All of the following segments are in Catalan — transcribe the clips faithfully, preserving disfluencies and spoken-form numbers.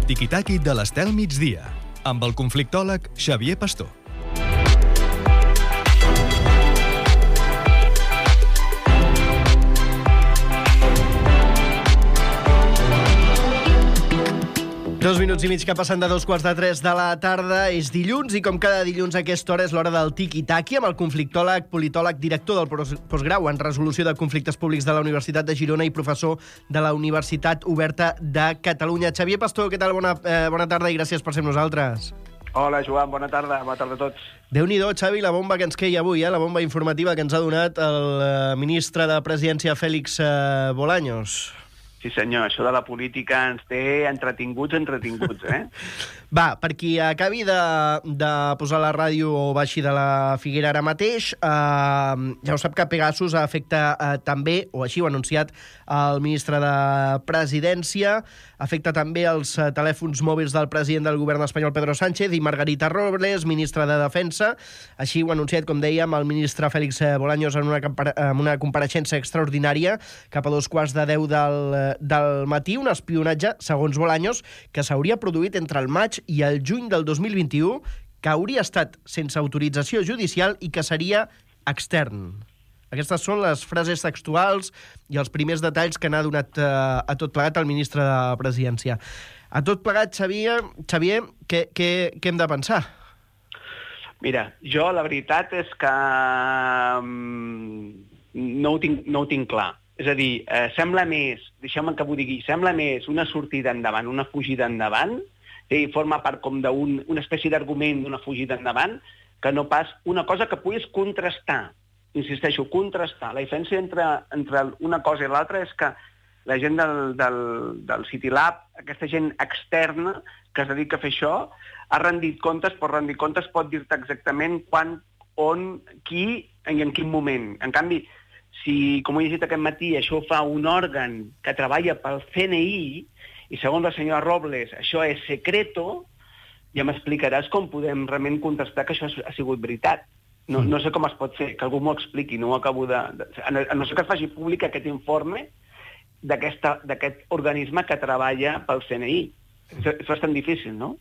tiqui-taqui de l'Estel Migdia, amb el conflictòleg Xavier Pastor. Dos minuts i mig que passen de dos quarts de tres de la tarda. És dilluns i com cada dilluns a aquesta hora és l'hora del tiqui-taqui amb el conflictòleg, politòleg, director del postgrau en resolució de conflictes públics de la Universitat de Girona i professor de la Universitat Oberta de Catalunya. Xavier Pastor, què tal? Bona, eh, bona tarda i gràcies per ser amb nosaltres. Hola, Joan, bona tarda. Bona tarda a tots. Déu-n'hi-do, Xavi, la bomba que ens queia avui, eh? La bomba informativa que ens ha donat el eh, ministre de Presidència, Félix eh, Bolaños. Sí, senyor, això de la política ens té entretinguts, entretinguts, eh? Va, per qui acabi de, de posar la ràdio o baixi de la Figuera ara mateix, eh, ja ho sap que Pegasus afecta eh, també, o així ho ha anunciat el ministre de Presidència, afecta també els eh, telèfons mòbils del president del govern espanyol, Pedro Sánchez, i Margarita Robles, ministra de Defensa. Així ho ha anunciat, com dèiem, el ministre Félix Bolaños en una, en una compareixença extraordinària cap a dos quarts de deu del, del matí, un espionatge, segons Bolaños, que s'hauria produït entre el maig i el juny del dos mil vint-i-u, que hauria estat sense autorització judicial i que seria extern. Aquestes són les frases textuals i els primers detalls que n'ha donat eh, a tot plegat el ministre de Presidència. A tot plegat, Xavier, Xavier què, què, què hem de pensar? Mira, jo la veritat és que um, no, ho tinc, no ho tinc clar. És a dir, eh, sembla més, deixeu-me que ho digui, sembla més una sortida endavant, una fugida endavant, i forma part com d'una un, espècie d'argument d'una fugida endavant, que no pas una cosa que puguis contrastar. Insisteixo, contrastar. La diferència entre, entre una cosa i l'altra és que la gent del, del, del CityLab, aquesta gent externa que es dedica a fer això, ha rendit comptes, però rendir comptes pot dir-te exactament quan, on, qui i en quin moment. En canvi, si, com he llegit aquest matí, això ho fa un òrgan que treballa pel C N I, i segons la senyora Robles això és secreto, ja m'explicaràs com podem realment contestar que això ha sigut veritat. No, no sé com es pot fer, que algú m'ho expliqui, no ho acabo de... de a no ser que es faci públic aquest informe d'aquest organisme que treballa pel C N I. És, és bastant difícil, no?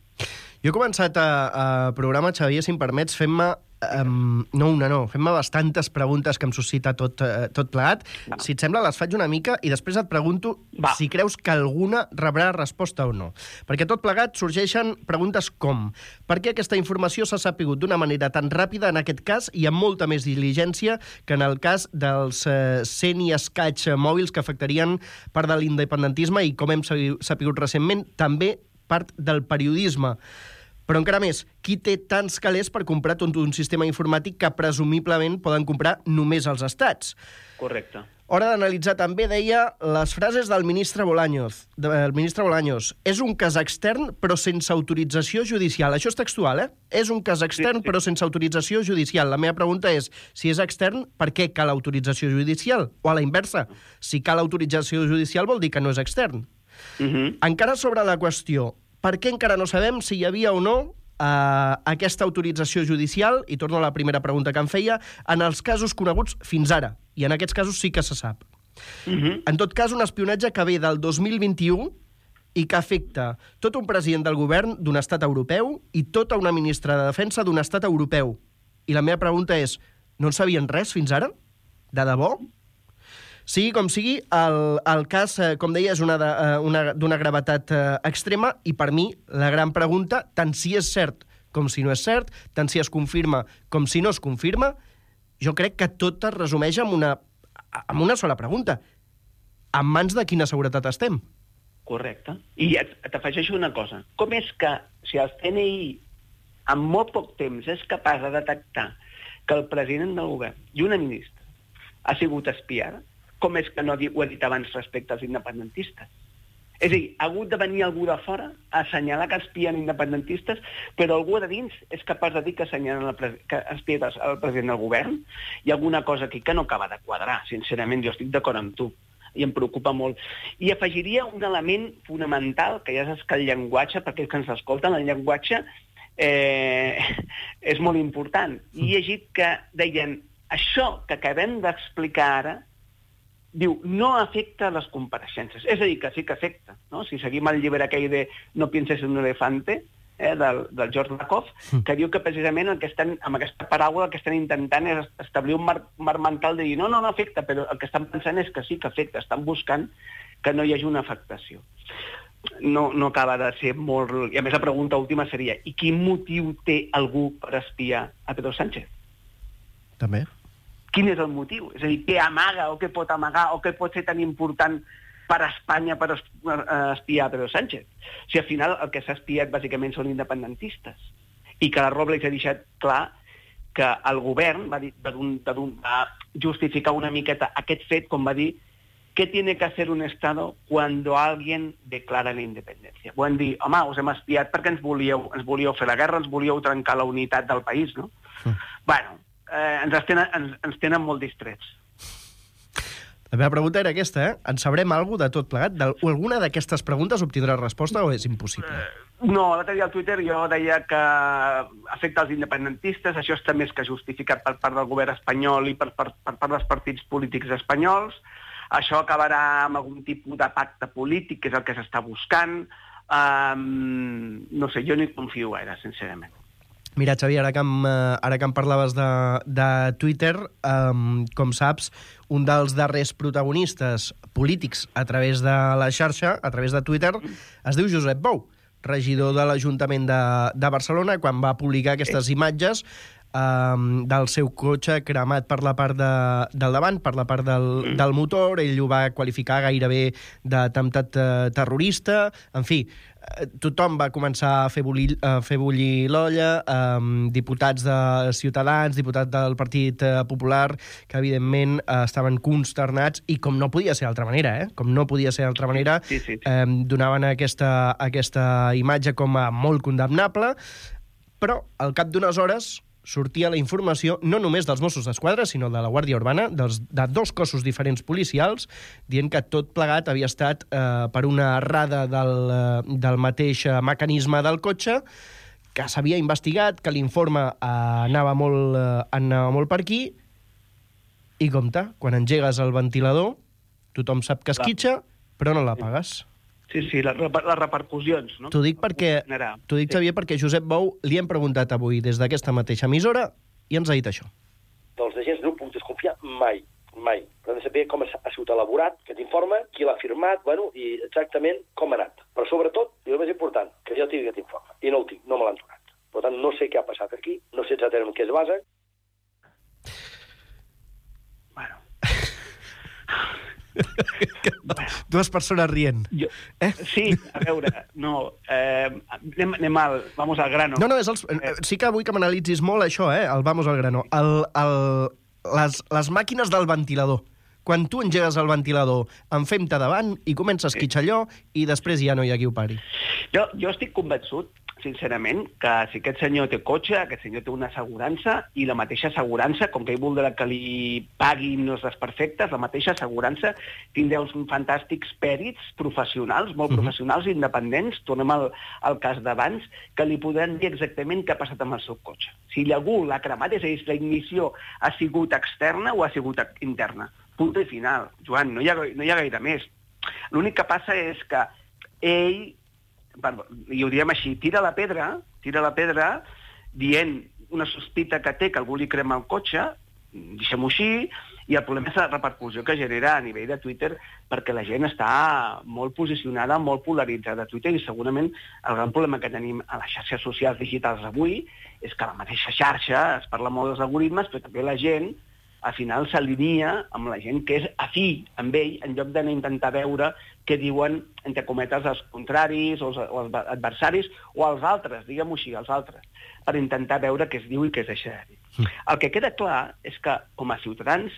Jo he començat a, a programa, Xavier, si em permets, fent-me... Um, no una, no. Fem-me bastantes preguntes que em suscita tot, uh, tot plegat. Va. Si et sembla, les faig una mica i després et pregunto Va. si creus que alguna rebrà resposta o no. Perquè tot plegat sorgeixen preguntes com: per què aquesta informació s'ha sapigut d'una manera tan ràpida en aquest cas i amb molta més diligència que en el cas dels uh, cent i escaig mòbils que afectarien part de l'independentisme i, com hem sapigut recentment, també part del periodisme? Però encara més, qui té tants calés per comprar tot un sistema informàtic que presumiblement poden comprar només els estats? Correcte. Hora d'analitzar també, deia, les frases del ministre Bolaños. Del ministre Bolaños. És un cas extern però sense autorització judicial. Això és textual, eh? És un cas extern sí, sí. però sense autorització judicial. La meva pregunta és, si és extern, per què cal autorització judicial? O a la inversa, si cal autorització judicial vol dir que no és extern. Uh-huh. Encara sobre la qüestió, per què encara no sabem si hi havia o no eh, aquesta autorització judicial, i torno a la primera pregunta que em feia, en els casos coneguts fins ara, i en aquests casos sí que se sap. Uh-huh. En tot cas, un espionatge que ve del dos mil vint-i-u i que afecta tot un president del govern d'un estat europeu i tota una ministra de Defensa d'un estat europeu. I la meva pregunta és, no en sabien res fins ara? De debò? Sigui com sigui, el, el cas, eh, com deia, és una de, eh, una, d'una gravetat eh, extrema i, per mi, la gran pregunta, tant si és cert com si no és cert, tant si es confirma com si no es confirma, jo crec que tot es resumeix en una, en una sola pregunta. En mans de quina seguretat estem? Correcte. I t'afegeixo una cosa. Com és que, si el C N I en molt poc temps és capaç de detectar que el president del govern i una ministra ha sigut espiada, com és que no ho ha dit abans respecte als independentistes? És a dir, ha hagut de venir algú de fora a assenyalar que espien independentistes, però algú de dins és capaç de dir que assenyalen el, pre que espien el president del govern? Hi ha alguna cosa aquí que no acaba de quadrar, sincerament, jo estic d'acord amb tu, i em preocupa molt. I afegiria un element fonamental, que ja saps que el llenguatge, perquè els que ens escolten, el llenguatge eh, és molt important. I he llegit que deien, això que acabem d'explicar ara diu, no afecta les compareixences. És a dir, que sí que afecta, no? Si seguim el llibre aquell de No pienses en un elefante, eh, del, del George Lakoff, que diu que precisament el que estan, amb aquesta paraula el que estan intentant és establir un marc, marc mental de dir no, no, no afecta, però el que estan pensant és que sí que afecta, estan buscant que no hi hagi una afectació. No, no acaba de ser molt... I a més la pregunta última seria, i quin motiu té algú per espiar a Pedro Sánchez? També. Quin és el motiu? És a dir, què amaga o què pot amagar o què pot ser tan important per a Espanya per espiar a Pedro Sánchez? Si al final el que s'ha espiat bàsicament són independentistes i que la Robles ha deixat clar que el govern va, dir, va, va justificar una miqueta aquest fet, com va dir, ¿qué tiene que hacer un Estado cuando alguien declara la independència? Van dir, home, us hem espiat perquè ens volíeu, ens volíeu fer la guerra, ens volíeu trencar la unitat del país, no? Mm. Bueno, eh, ens, tenen, ens, ens tenen molt distrets. La meva pregunta era aquesta, eh? En sabrem alguna de tot plegat? De, o alguna d'aquestes preguntes obtindrà resposta o és impossible? Eh, no, l'altre dia al Twitter jo deia que afecta els independentistes, això està més que justificat per part del govern espanyol i per, per, per part dels partits polítics espanyols, això acabarà amb algun tipus de pacte polític, que és el que s'està buscant. Um, no sé, jo no hi confio gaire, sincerament. Mira, Xavier, ara que em, ara que em parlaves de, de Twitter, um, com saps, un dels darrers protagonistes polítics a través de la xarxa, a través de Twitter, es diu Josep Bou, regidor de l'Ajuntament de, de Barcelona, quan va publicar aquestes imatges um, del seu cotxe cremat per la part de, del davant, per la part del, del motor. Ell ho va qualificar gairebé d'atemptat uh, terrorista. En fi, tothom va començar a fer bullir, a fer bullir l'olla, um, diputats de Ciutadans, diputats del Partit Popular, que evidentment uh, estaven consternats, i com no podia ser d'altra manera, eh? com no podia ser d'altra manera, sí, sí, sí. Um, donaven aquesta, aquesta imatge com a molt condemnable, però al cap d'unes hores sortia la informació no només dels Mossos d'Esquadra, sinó de la Guàrdia Urbana, dels, de dos cossos diferents policials, dient que tot plegat havia estat eh, per una errada del, eh, del mateix mecanisme del cotxe, que s'havia investigat, que l'informe eh, anava, molt, eh, anava molt per aquí, i compte, quan engegues el ventilador, tothom sap que esquitxa, però no l'apagues. Sí, sí, les, les repercussions, no? T'ho dic, perquè, t'ho dic, Xavier, perquè Josep Bou li hem preguntat avui des d'aquesta mateixa emissora i ens ha dit això. Dels agents no puc desconfiar mai, mai. Però hem de saber com ha sigut elaborat aquest informe, qui l'ha firmat, bueno, i exactament com ha anat. Però sobretot, i el més important, que jo tingui aquest informe. I no el tinc, no me l'han donat. Per tant, no sé què ha passat aquí, no sé exactament en què es basa. Bueno... Dues persones rient. Jo, eh? Sí, a veure, no, eh, anem, anem al, vamos al grano. No, no, és els, eh, sí que vull que m'analitzis molt això, eh, el vamos al grano. El, el, les, les màquines del ventilador. Quan tu engegues el ventilador, en fem-te davant i comença a esquitxar allò i després ja no hi ha qui ho pari. Jo, jo estic convençut, sincerament, que si aquest senyor té cotxe, aquest senyor té una assegurança, i la mateixa assegurança, com que ell voldrà que li paguin els desperfectes, la mateixa assegurança tindrà uns fantàstics pèrits professionals, molt uh-huh. professionals, independents, tornem al, al cas d'abans, que li podran dir exactament què ha passat amb el seu cotxe. Si algú l'ha cremat, és a dir, la ignició ha sigut externa o ha sigut interna. Punt i final. Joan, no hi ha, no hi ha gaire més. L'únic que passa és que ell, i ho diem així, tira la pedra, tira la pedra dient una sospita que té que algú li crema el cotxe, deixem-ho així, i el problema és la repercussió que genera a nivell de Twitter, perquè la gent està molt posicionada, molt polaritzada a Twitter, i segurament el gran problema que tenim a les xarxes socials digitals avui és que a la mateixa xarxa es parla molt dels algoritmes, però també la gent al final s'alinea amb la gent que és afí amb ell, en lloc d'anar a intentar veure què diuen, entre cometes, els contraris o els, o els adversaris, o els altres, diguem-ho així, els altres, per intentar veure què es diu i què es deixa de dir. Mm. El que queda clar és que, com a ciutadans,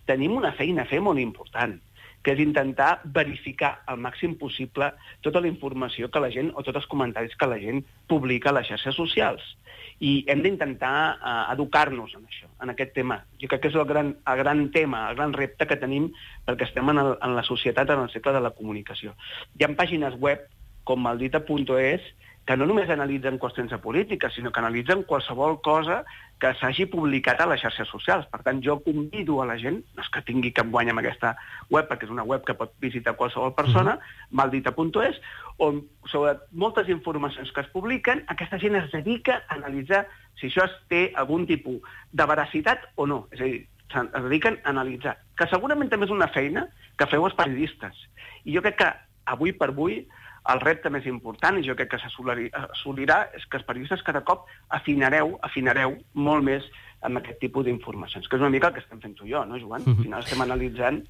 tenim una feina a fer molt important, que és intentar verificar al màxim possible tota la informació que la gent, o tots els comentaris que la gent publica a les xarxes socials. I hem d'intentar uh, educar-nos en això, en aquest tema. Jo crec que és el gran, el gran tema, el gran repte que tenim perquè estem en, el, en la societat, en el segle de la comunicació. Hi ha pàgines web com maldita punt es que no només analitzen qüestions de política, sinó que analitzen qualsevol cosa que s'hagi publicat a les xarxes socials. Per tant, jo convido a la gent, no és que tingui cap guany amb aquesta web, perquè és una web que pot visitar qualsevol persona, mm-hmm. maldita punt es, on sobre moltes informacions que es publiquen, aquesta gent es dedica a analitzar si això té algun tipus de veracitat o no. És a dir, es dediquen a analitzar. Que segurament també és una feina que feu els periodistes. I jo crec que avui per avui el repte més important, i jo crec que s'assolirà, és que els periodistes cada cop afinareu, afinareu molt més amb aquest tipus d'informacions, que és una mica el que estem fent tu i jo, no, Joan? Al final estem analitzant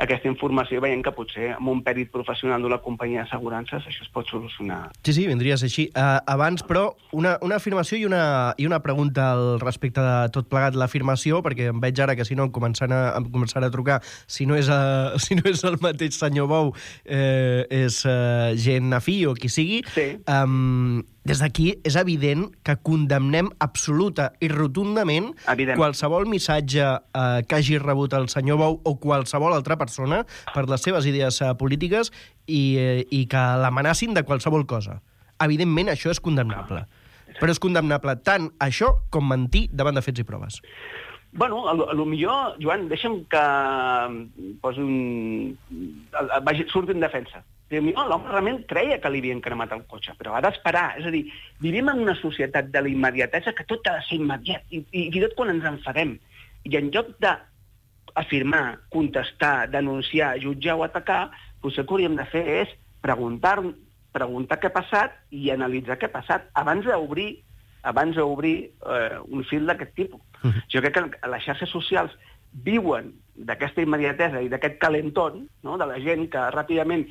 aquesta informació i veient que potser amb un pèrit professional d'una companyia d'assegurances això es pot solucionar. Sí, sí, vindria a ser així. Uh, abans, però, una, una afirmació i una, i una pregunta al respecte de tot plegat. L'afirmació, perquè em veig ara que si no em començarà a, em començarà a trucar, si no és, a, si no és el mateix senyor Bou, eh, és uh, gent afí o qui sigui. Sí. Um, des d'aquí és evident que condemnem absoluta i rotundament Evident. qualsevol missatge eh, que hagi rebut el senyor Bou o qualsevol altra persona per les seves idees eh, polítiques i, eh, i que l'amenacin de qualsevol cosa. Evidentment, això és condemnable. Però és condemnable tant això com mentir davant de fets i proves. Bueno, a lo, a lo millor, Joan, deixa'm que posi un... Vagi, surti en defensa. L'home realment creia que li havien cremat el cotxe, però ha d'esperar. És a dir, vivim en una societat de la immediatesa que tot ha de ser immediat, i, i, i tot quan ens enfadem. I en lloc d'afirmar, contestar, denunciar, jutjar o atacar, potser el que hauríem de fer és preguntar, preguntar què ha passat i analitzar què ha passat abans d'obrir abans d'obrir eh, un fil d'aquest tipus. Uh-huh. Jo crec que les xarxes socials viuen d'aquesta immediatesa i d'aquest calentón, no?, de la gent que ràpidament,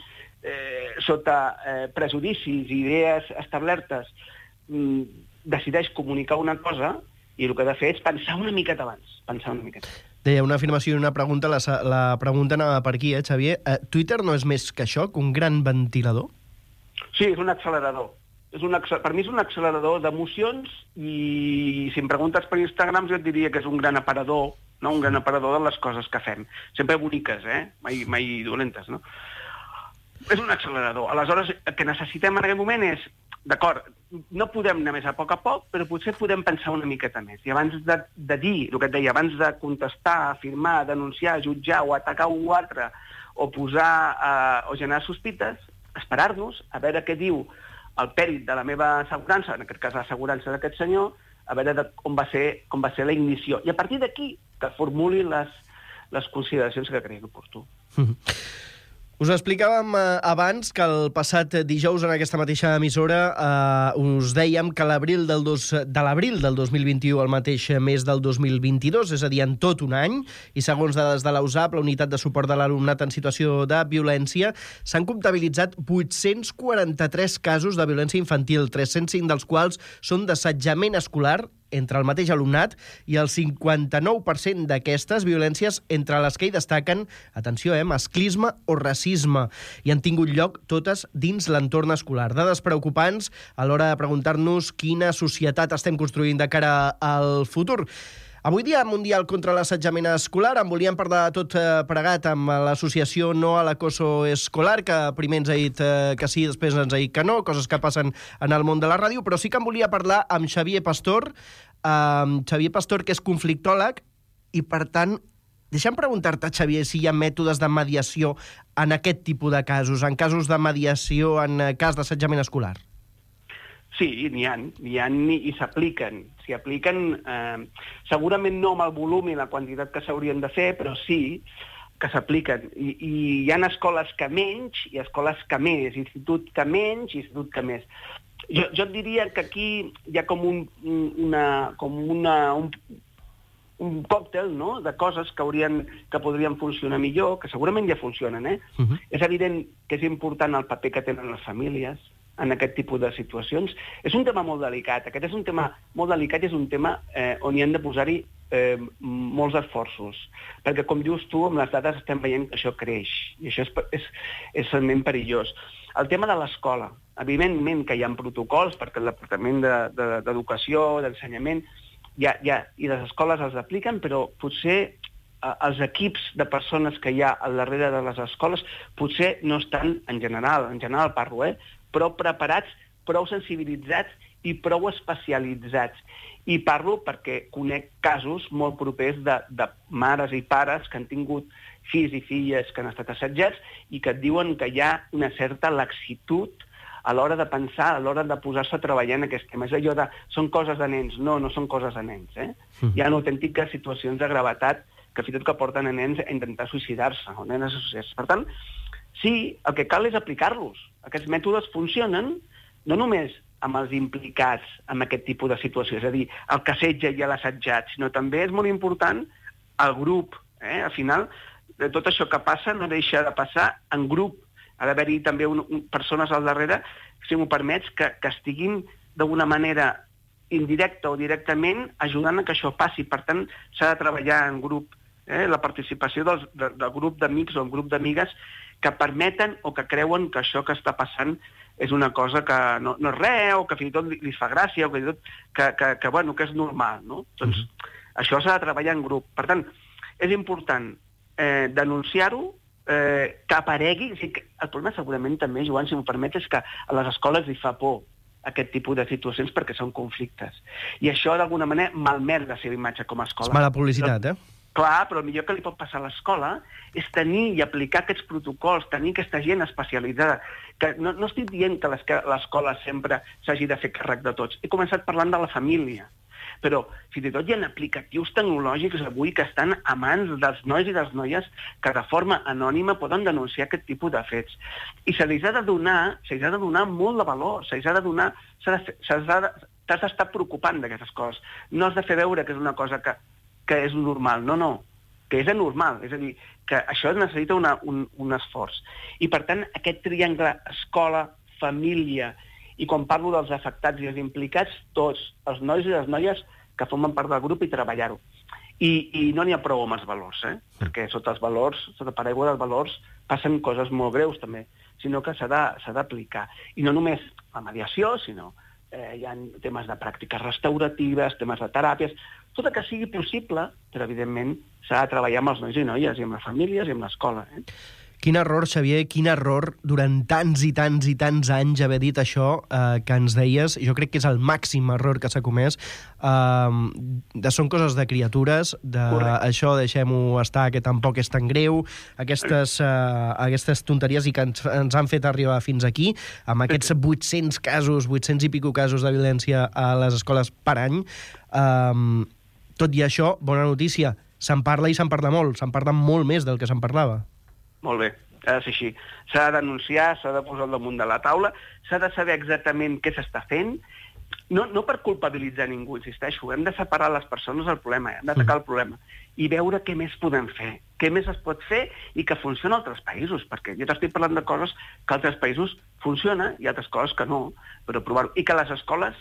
eh, sota eh, prejudicis i idees establertes, mm, decideix comunicar una cosa i el que ha de fer és pensar una miqueta abans. Pensar una miqueta. Deia una afirmació i una pregunta, la, la pregunta anava per aquí, eh, Xavier? Eh, Twitter no és més que això, que un gran ventilador? Sí, és un accelerador. És un, per mi és un accelerador d'emocions i si em preguntes per Instagram jo et diria que és un gran aparador, no? Un gran aparador de les coses que fem. Sempre boniques, eh? Mai, mai dolentes, no? És un accelerador. Aleshores, el que necessitem en aquest moment és, d'acord, no podem anar més a poc a poc, però potser podem pensar una miqueta més. I abans de, de dir, el que et deia, abans de contestar, afirmar, denunciar, jutjar o atacar un o altre, o posar eh, o generar sospites, esperar-nos a veure què diu el pèrit de la meva assegurança, en aquest cas l'assegurança d'aquest senyor, a veure de com, va ser, com va ser la ignició. I a partir d'aquí que formuli les, les consideracions que cregui oportú. Mm-hmm. Us explicàvem eh, abans que el passat dijous en aquesta mateixa emissora eh, us dèiem que l'abril del dos, de l'abril del dos mil vint-i-u al mateix mes del dos mil vint-i-dos, és a dir, en tot un any, i segons dades de l'A U S A P, la Unitat de Suport de l'Alumnat en Situació de Violència, s'han comptabilitzat vuit-cents quaranta-tres casos de violència infantil, tres-cents cinc dels quals són d'assetjament escolar entre el mateix alumnat i el cinquanta-nou per cent d'aquestes violències entre les que hi destaquen, atenció, eh, masclisme o racisme, i han tingut lloc totes dins l'entorn escolar. Dades preocupants a l'hora de preguntar-nos quina societat estem construint de cara al futur. Avui dia mundial contra l'assetjament escolar, en volíem parlar de tot eh, pregat amb l'associació No a l'Acoso Escolar, que primer ens ha dit eh, que sí, després ens ha dit que no, coses que passen en el món de la ràdio, però sí que en volia parlar amb Xavier Pastor, eh, Xavier Pastor, que és conflictòleg, i per tant, deixa'm preguntar-te, Xavier, si hi ha mètodes de mediació en aquest tipus de casos, en casos de mediació en cas d'assetjament escolar. Sí, n'hi ha, n'hi ha i s'apliquen. S'hi apliquen, eh, segurament no amb el volum i la quantitat que s'haurien de fer, però sí que s'apliquen. I, I hi ha escoles que menys i escoles que més, institut que menys i institut que més. Jo, jo et diria que aquí hi ha com un, una, com una, un, un còctel, no?, de coses que, haurien, que podrien funcionar millor, que segurament ja funcionen, eh? Uh-huh. És evident que és important el paper que tenen les famílies en aquest tipus de situacions. És un tema molt delicat. Aquest és un tema molt delicat i és un tema eh, on hi han de posar-hi eh, molts esforços. Perquè, com dius tu, amb les dades estem veient que això creix. I això és, és, és realment perillós. El tema de l'escola. Evidentment que hi ha protocols, perquè el Departament d'Educació, de, de, d'Ensenyament, ja, ja, i les escoles els apliquen, però potser eh, els equips de persones que hi ha al darrere de les escoles potser no estan, en general, en general parlo, eh, però preparats prou sensibilitzats i prou especialitzats. I parlo perquè conec casos molt propers de, de mares i pares que han tingut fills i filles que han estat assetjats i que et diuen que hi ha una certa laxitud a l'hora de pensar, a l'hora de posar-se a treballar en aquest tema. És allò de, són coses de nens. No, no són coses de nens. Eh? Mm. Hi ha autèntiques situacions de gravetat que fins i tot que porten a nens a intentar suïcidar-se, o nenes a suïcidar-se. Per tant, sí, el que cal és aplicar-los. Aquests mètodes funcionen no només amb els implicats en aquest tipus de situació, és a dir, el que assetja i l'assetjat, sinó també és molt important el grup. Eh? Al final, de tot això que passa no deixa de passar en grup. Ha d'haver-hi també un, un, persones al darrere, si m'ho permets, que, que estiguin d'alguna manera indirecta o directament ajudant a que això passi. Per tant, s'ha de treballar en grup. Eh? La participació dels, de, del grup d'amics o un grup d'amigues que permeten o que creuen que això que està passant és una cosa que no, no és res, o que fins i tot li, li fa gràcia, o que, fins i tot que, que, que, bueno, que és normal. No? Doncs mm-hmm. això s'ha de treballar en grup. Per tant, és important eh, denunciar-ho, Eh, que aparegui. O sigui, el problema segurament també, Joan, si m'ho permet, és que a les escoles li fa por aquest tipus de situacions perquè són conflictes. I això, d'alguna manera, malmet la seva imatge com a escola. És mala publicitat, però, eh? Clar, però el millor que li pot passar a l'escola és tenir i aplicar aquests protocols, tenir aquesta gent especialitzada. Que no, no estic dient que l'escola sempre s'hagi de fer càrrec de tots. He començat parlant de la família. Però fins i tot hi ha aplicatius tecnològics avui que estan a mans dels nois i de les noies que de forma anònima poden denunciar aquest tipus de fets. I se li ha de donar, se li ha de donar molt de valor, se li ha de donar, t'has d'estar preocupant d'aquestes coses. No has de fer veure que és una cosa que, que és normal, no, no, que és anormal. És a dir, que això necessita una, un, un esforç. I per tant, aquest triangle escola, família, i quan parlo dels afectats i els implicats, tots, els nois i les noies que formen part del grup i treballar-ho. I, i no n'hi ha prou amb els valors, eh? Perquè sota els valors, sota paraigua dels valors, passen coses molt greus també, sinó que s'ha d'aplicar. I no només la mediació, sinó eh, hi ha temes de pràctiques restauratives, temes de teràpies, tot el que sigui possible, però evidentment s'ha de treballar amb els nois i noies, i amb les famílies i amb l'escola. Eh? Quin error, Xavier, quin error durant tants i tants i tants anys haver dit això eh, que ens deies. Jo crec que és el màxim error que s'ha comès. Eh, de, són coses de criatures, de Correcte. Això deixem-ho estar, que tampoc és tan greu, aquestes, eh, aquestes tonteries i que ens, ens han fet arribar fins aquí, amb aquests vuit-cents casos, vuit-cents i pico casos de violència a les escoles per any. Eh, tot i això, bona notícia, se'n parla i se'n parla molt, se'n parla molt més del que se'n parlava. Molt bé, ha de ser així. S'ha de denunciar, s'ha de posar al damunt de la taula, s'ha de saber exactament què s'està fent, no, no per culpabilitzar ningú, insisteixo, hem de separar les persones del problema, hem d'atacar el problema, i veure què més podem fer, què més es pot fer i que funciona a altres països, perquè jo t'estic parlant de coses que a altres països funciona i altres coses que no, però provar-ho. I que les escoles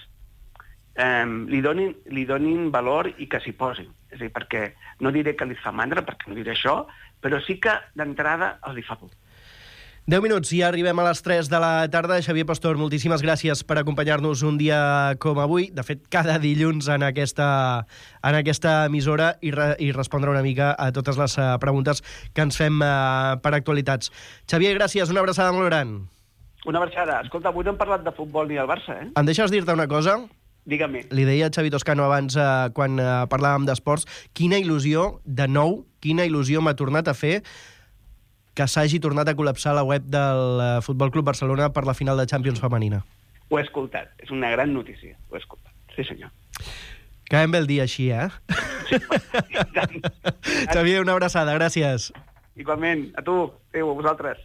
eh, li, donin, li donin valor i que s'hi posin. És a dir, perquè no diré que li fa mandra, perquè no diré això, però sí que d'entrada els hi fa por. deu minuts i ja arribem a les tres de la tarda. Xavier Pastor, moltíssimes gràcies per acompanyar-nos un dia com avui. De fet, cada dilluns en aquesta, en aquesta emissora i, re, i respondre una mica a totes les uh, preguntes que ens fem uh, per actualitats. Xavier, gràcies. Una abraçada molt gran. Una abraçada. Escolta, avui no hem parlat de futbol ni del Barça, eh? Em deixes dir-te una cosa? Dígame. Li deia a Xavi Toscano abans, eh, quan eh, parlàvem d'esports, quina il·lusió, de nou, quina il·lusió m'ha tornat a fer que s'hagi tornat a col·lapsar la web del eh, Futbol Club Barcelona per la final de Champions femenina. Ho he escoltat. És una gran notícia. Ho he escoltat. Sí, senyor. Acabem bé el dia així, eh? Sí, Xavier, una abraçada. Gràcies. Igualment. A tu. Adéu, a vosaltres.